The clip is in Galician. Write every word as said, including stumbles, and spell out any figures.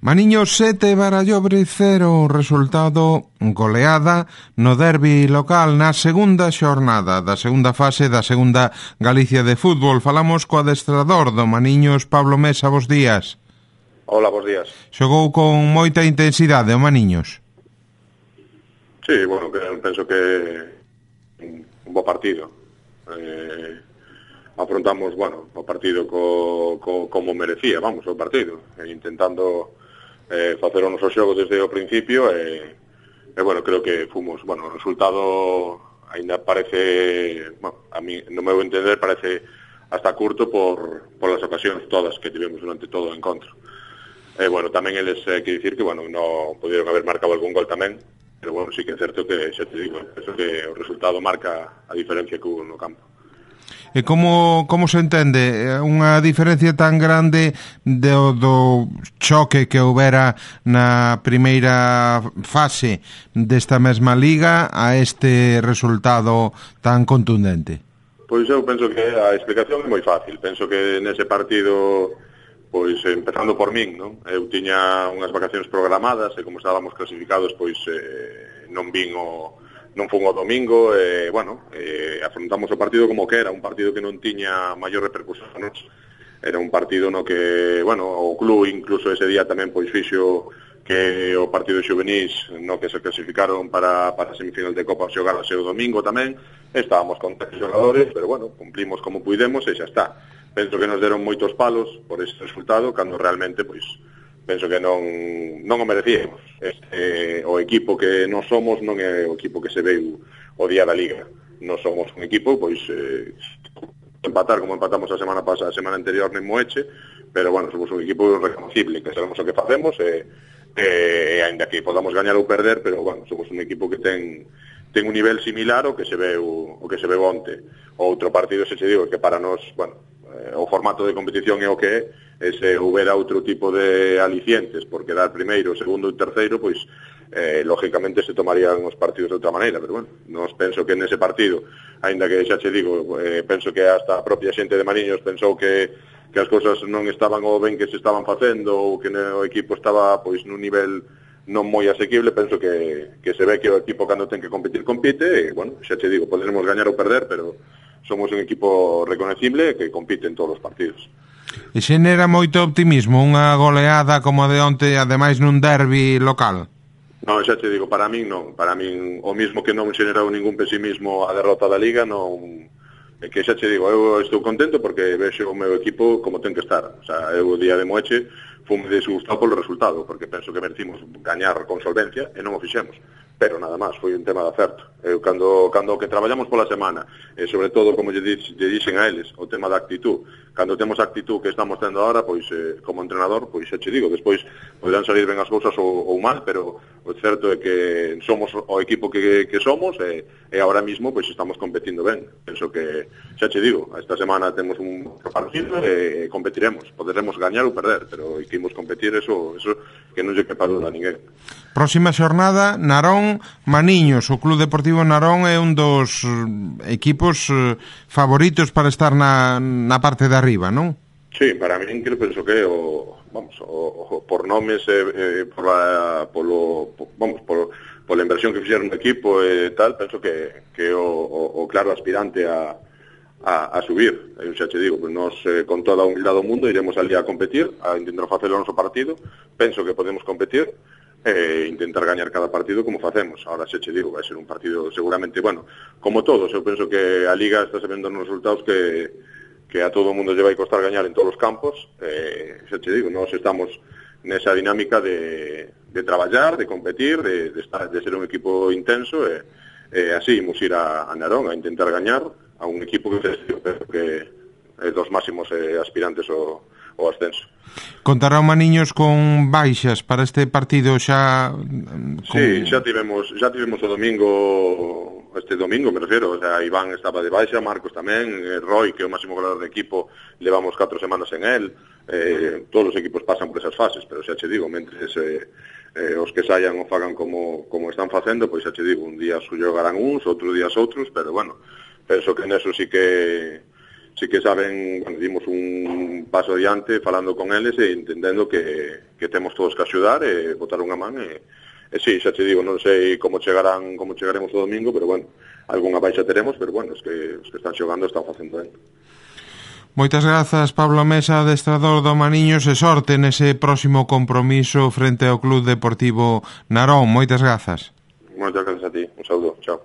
Maniños sete, Barallobre cero, resultado goleada no derbi local na segunda xornada da segunda fase da segunda Galicia de fútbol. Falamos co adestrador do Maniños, Pablo Mesa, bos días. Hola, bos días. Xogou con moita intensidade o Maniños. Sí, bueno, penso que un bo partido. Eh... afrontamos, bueno, o partido co, co, como merecía, vamos, o partido, e intentando eh, facer o noso xogo desde o principio, e, e bueno, creo que fomos, bueno, o resultado ainda parece, bueno, a mí, no meu entender, parece hasta curto por, por las ocasións todas que tivemos durante todo o encontro. E bueno, tamén eles, eh, que dicir que, bueno, non pudieron haber marcado algún gol tamén, pero bueno, sí que é certo que, xa te digo, eso que o resultado marca a diferencia que hubo no campo. E como, como se entende unha diferencia tan grande do, do choque que houbera na primeira fase desta mesma liga a este resultado tan contundente? Pois eu penso que a explicación é moi fácil. Penso que nese partido, pois empezando por min, non? Eu tiña unhas vacacións programadas e como estábamos clasificados, pois eh, non vin o... non fun o domingo, e, eh, bueno, eh, afrontamos o partido como que era, un partido que non tiña maior repercusión. Era un partido no que, bueno, o club incluso ese día tamén pois fixo que o partido xuvenís no que se clasificaron para, para a semifinal de Copa xogarase o domingo tamén. Estábamos con tres xogadores, pero bueno, cumplimos como puidemos e xa está. Penso que nos deron moitos palos por ese resultado, cando realmente, pois, penso que non, non o merecíamos. Este, o equipo que non somos non é o equipo que se veu o día da Liga. Non somos un equipo, pois, eh, empatar como empatamos a semana pasada, a semana anterior en Moeche, pero, bueno, somos un equipo reconocible, que sabemos o que facemos, e, e ainda que podamos gañar ou perder, pero, bueno, somos un equipo que ten ten un nivel similar ao que se veu o que se veu onte. O outro partido, se che digo, que para nós, bueno, eh, o formato de competición é o que é, e se houbera outro tipo de alicientes por quedar primeiro, segundo e terceiro, pois eh, lógicamente se tomarían os partidos de outra maneira, pero bueno, nos penso que nese partido, aínda que xa che digo, eh, penso que hasta a propia xente de Mariños pensou que, que as cousas non estaban o ben que se estaban facendo ou que o equipo estaba pois nun nivel non moi asequible. Penso que, que se ve que o equipo cando ten que competir, compite, e, bueno, xa che digo, podemos gañar ou perder, pero somos un equipo reconocible que compite en todos os partidos. E xenera moito optimismo unha goleada como a de onte, ademais nun derbi local? Non, xa te digo, para min non. Para min, o mismo que non xenerou ningún pesimismo a derrota da Liga, non... É que xa te digo, eu estou contento porque vexo o meu equipo como ten que estar. O sea, eu o día de Moeche fume desgustado polo resultado, porque penso que merecimos gañar con solvencia e non o fixemos. Pero nada máis, foi un tema de acerto. Eu, cando, cando que traballamos pola semana, e sobre todo, como lle, lle dixen a eles, o tema da actitud, cando temos a actitud que estamos tendo agora, pois, eh, como entrenador, pois, xa che digo, despois poderán salir ben as cousas ou, ou mal, pero o certo é que somos o equipo que, que somos, e, e ahora mismo, pois, estamos competindo ben. Penso que, xa che digo, esta semana temos un partido e, e competiremos. Poderemos gañar ou perder, pero que imos competir, eso, eso que non lle quepa duda a ninguén. Próxima xornada, Narón Maniños. O Club Deportivo Narón é un dos equipos favoritos para estar na, na parte de arriba, non? Sí, para min que penso que o, vamos, o, o, por nomes e eh, por la, polo, por, vamos, por, por la inversión que fixeron no equipo e tal, penso que, que o, o, o claro aspirante a, a, a subir. Eu xa te digo, pues nos eh, con toda a humildade do mundo iremos ali a competir, a intentar facer o noso partido. Penso que podemos competir e intentar gañar cada partido como facemos. Ahora xa che digo, vai ser un partido seguramente, bueno, como todos. Eu penso que a Liga está sabendo nos resultados que, que a todo o mundo lle vai costar gañar en todos os campos. Eh, xa che digo, nós estamos nesa dinámica de, de traballar, de competir, de, de, estar, de ser un equipo intenso, e, e así imos ir a, a Narón a intentar gañar a un equipo que, que é dos máximos eh, aspirantes ao, ao ascenso. Contará o Maniños con baixas para este partido xa? Con... Sí, xa tivemos, xa tivemos o domingo, este domingo me refiero, o sea, Iván estaba de baixa, Marcos tamén, Roy, que é o máximo goleador de equipo, levamos catro semanas en él, eh, todos os equipos pasan por esas fases, pero xa che digo, mentres eh, eh, os que saian o fagan como, como están facendo, pois xa che digo, un día xogarán uns, outro día outros, pero bueno, penso que neso sí que sí que saben, bueno, dimos un paso adiante falando con eles e entendendo que, que temos todos que axudar e botar unha man e, e sí, xa te digo, non sei como chegarán, como chegaremos o domingo, pero bueno, algunha baixa teremos, pero bueno, os que, os que están xogando están facendo ben. Moitas grazas, Pablo Mesa, adestrador do Maniños, e sorte nese próximo compromiso frente ao Club Deportivo Narón. Moitas grazas. Moitas grazas a ti. Un saúdo. Chao.